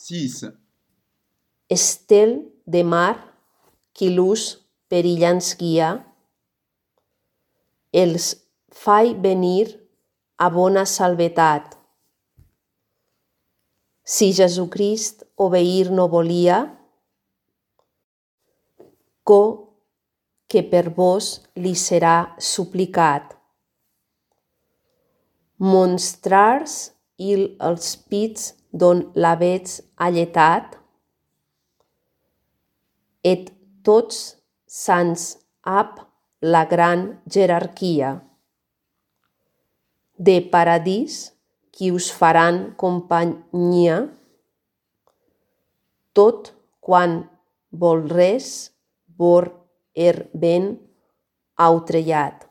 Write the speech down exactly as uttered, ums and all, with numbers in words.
sis. Estel de mar, quilús perillans guia, els fai venir a bona salvetat. Si Jesucrist obeir no volia, co que per vos li serà suplicat. Monstrars il els pits don l'avets alletat, et tots sants ab la gran jerarquia. De paradís qui us faran companyia, tot quan volres vor er ben autrellat.